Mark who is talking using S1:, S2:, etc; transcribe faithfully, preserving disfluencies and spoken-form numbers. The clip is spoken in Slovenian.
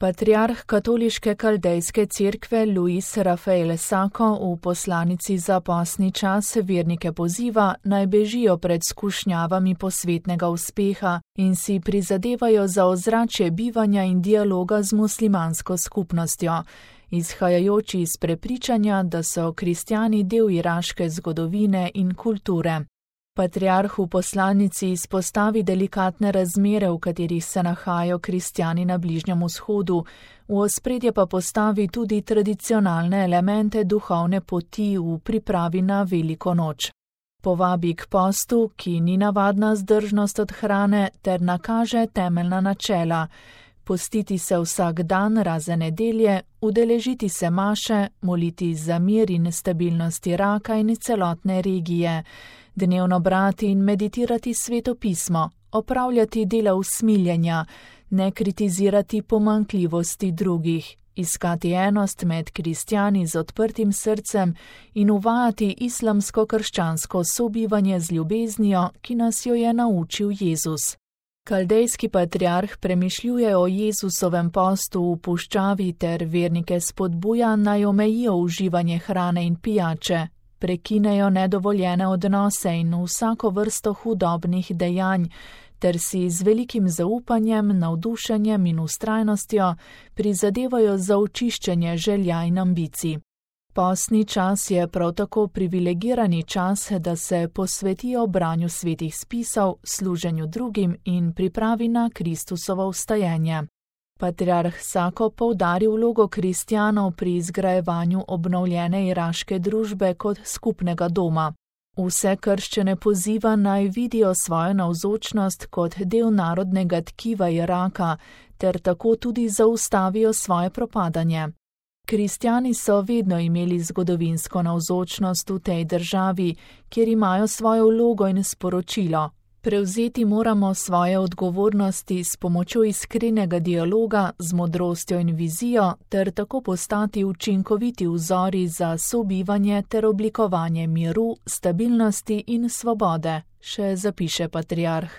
S1: Patriarh katoliške kaldejske cerkve Luis Rafael Sako v poslanici za postni čas vernike poziva, naj bežijo pred skušnjavami posvetnega uspeha in si prizadevajo za ozračje bivanja in dialoga z muslimansko skupnostjo, izhajajoči iz prepričanja, da so kristjani del iraške zgodovine in kulture. Patriarh v poslanici izpostavi delikatne razmere, v katerih se nahajajo kristjani na Bližnjem vzhodu, v ospredje pa postavi tudi tradicionalne elemente duhovne poti v pripravi na veliko noč. Povabi k postu, ki ni navadna zdržnost od hrane, ter nakaže temeljna načela: postiti se vsak dan razen nedelje, udeležiti se maše, moliti za mir in stabilnost Iraka in celotne regije, dnevno brati in meditirati sveto pismo, opravljati dela usmiljenja, ne kritizirati pomanjkljivosti drugih, iskati enost med kristjani z odprtim srcem in uvajati islamsko-krščansko sobivanje z ljubeznijo, ki nas jo je naučil Jezus. Kaldejski patriarh premišljuje o Jezusovem postu v puščavi ter vernike spodbuja, naj omejijo uživanje hrane in pijače, prekinejo nedovoljene odnose in vsako vrsto hudobnih dejanj, ter si z velikim zaupanjem, navdušenjem in vztrajnostjo prizadevajo za očiščenje želja in ambicij. Postni čas je prav tako privilegirani čas, da se posvetijo branju svetih spisov, služenju drugim in pripravi na Kristusovo vstajenje. Patriarh Sako poudari vlogo kristjanov pri izgrajevanju obnovljene iraške družbe kot skupnega doma. Vse krščane poziva, naj vidijo svojo navzočnost kot del narodnega tkiva Iraka, ter tako tudi zaustavijo svoje propadanje. Kristjani so vedno imeli zgodovinsko navzočnost v tej državi, kjer imajo svojo vlogo in sporočilo. Prevzeti moramo svoje odgovornosti s pomočjo iskrenega dialoga, z modrostjo in vizijo, ter tako postati učinkoviti vzori za sobivanje ter oblikovanje miru, stabilnosti in svobode, še zapiše patriarh.